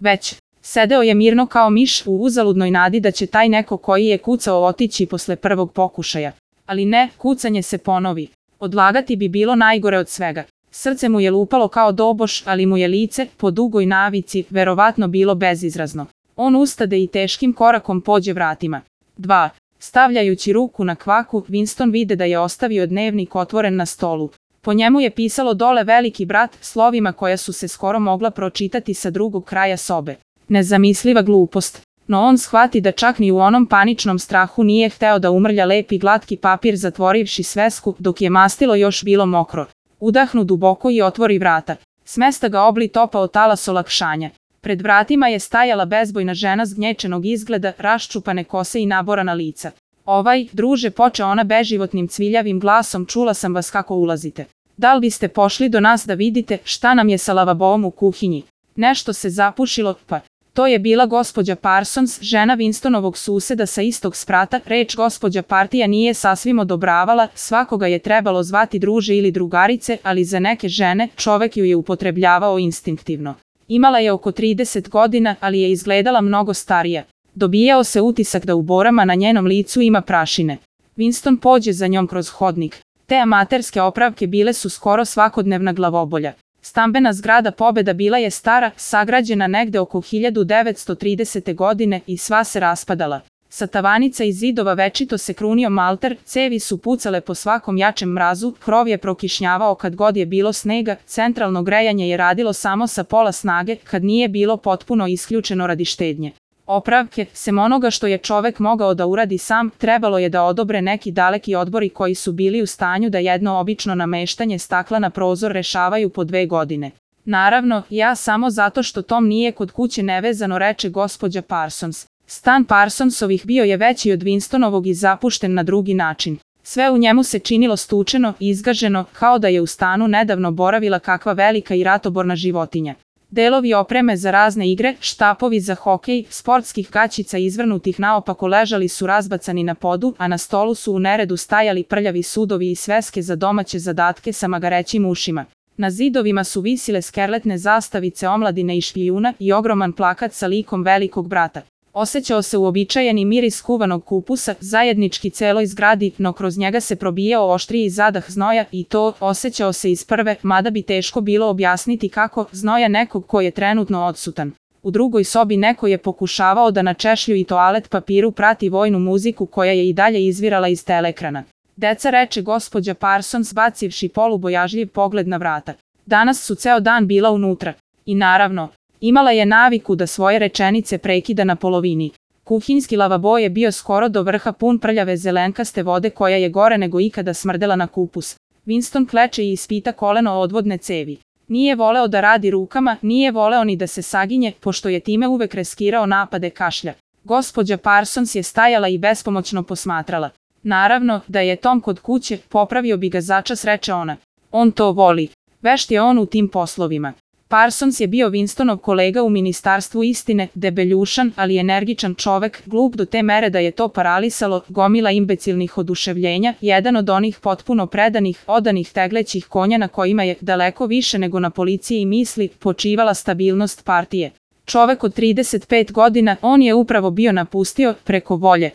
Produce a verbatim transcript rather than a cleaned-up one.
Već, sedeo je mirno kao miš u uzaludnoj nadi da će taj neko koji je kucao otići posle prvog pokušaja. Ali ne, kucanje se ponovi. Odlagati bi bilo najgore od svega. Srce mu je lupalo kao doboš, ali mu je lice, po dugoj navici, verovatno bilo bezizrazno. On ustade i teškim korakom pođe vratima. Dva. Stavljajući ruku na kvaku, Winston vide da je ostavio dnevnik otvoren na stolu. Po njemu je pisalo dole veliki brat, slovima koja su se skoro mogla pročitati sa drugog kraja sobe. Nezamisliva glupost. No on shvati da čak ni u onom paničnom strahu nije hteo da umrlja lepi glatki papir zatvorivši svesku dok je mastilo još bilo mokro. Udahnu duboko i otvori vrata. Smesta ga obli topao talas olakšanja. Pred vratima je stajala bezbojna žena zgnječenog izgleda, raščupane kose i naborana lica. Ovaj, druže, poče ona beživotnim cviljavim glasom, čula sam vas kako ulazite. Da li biste pošli do nas da vidite šta nam je sa lavaboom u kuhinji? Nešto se zapušilo, pa... To je bila gospođa Parsons, žena Winstonovog suseda sa istog sprata. Reč gospođa Partija nije sasvim odobravala, svakoga je trebalo zvati druže ili drugarice, ali za neke žene čovek ju je upotrebljavao instinktivno. Imala je oko trideset godina, ali je izgledala mnogo starija. Dobijao se utisak da u borama na njenom licu ima prašine. Winston pođe za njom kroz hodnik. Te amaterske opravke bile su skoro svakodnevna glavobolja. Stambena zgrada Pobeda bila je stara, sagrađena negde oko hiljadu devetsto tridesete. godine i sva se raspadala. Sa tavanica i zidova večito se krunio malter, cevi su pucale po svakom jačem mrazu, krov je prokišnjavao kad god je bilo snega, centralno grejanje je radilo samo sa pola snage kad nije bilo potpuno isključeno radi štednje. Opravke, sem onoga što je čovek mogao da uradi sam, trebalo je da odobre neki daleki odbori koji su bili u stanju da jedno obično nameštanje stakla na prozor rešavaju po dve godine. Naravno, ja samo zato što Tom nije kod kuće nevezano, reče gospođa Parsons. Stan Parsonsovih bio je veći od Winstonovog i zapušten na drugi način. Sve u njemu se činilo stučeno i izgaženo, kao da je u stanu nedavno boravila kakva velika i ratoborna životinja. Delovi opreme za razne igre, štapovi za hokej, sportskih gaćica izvrnutih naopako ležali su razbacani na podu, a na stolu su u neredu stajali prljavi sudovi i sveske za domaće zadatke sa magarećim ušima. Na zidovima su visile skerletne zastavice omladine i špijuna i ogroman plakat sa likom velikog brata. Osećao se uobičajeni miris kuvanog kupusa, zajednički celoj zgradi, no kroz njega se probijao oštriji zadah znoja i to osećao se iz prve, mada bi teško bilo objasniti kako, znoja nekog ko je trenutno odsutan. U drugoj sobi neko je pokušavao da na češlju i toalet papiru prati vojnu muziku koja je i dalje izvirala iz teleekrana. Deca, reče gospođa Parsons bacivši polubojažljiv pogled na vrata. Danas su ceo dan bila unutra. I naravno, imala je naviku da svoje rečenice prekida na polovini. Kuhinjski lavabo je bio skoro do vrha pun prljave zelenkaste vode koja je gore nego ikada smrdela na kupus. Winston kleče i ispita koleno odvodne cevi. Nije voleo da radi rukama, nije voleo ni da se saginje, pošto je time uvek riskirao napade kašlja. Gospođa Parsons je stajala i bespomoćno posmatrala. Naravno, da je Tom kod kuće, popravio bi ga začas, reče ona. On to voli. Vešt je on u tim poslovima. Parsons je bio Winstonov kolega u Ministarstvu istine, debeljušan, ali energičan čovek, glup do te mere da je to paralisalo, gomila imbecilnih oduševljenja, jedan od onih potpuno predanih, odanih teglećih konja na kojima je, daleko više nego na policiji i misli, počivala stabilnost partije. Čovek od trideset pet godina, on je upravo bio napustio, preko volje.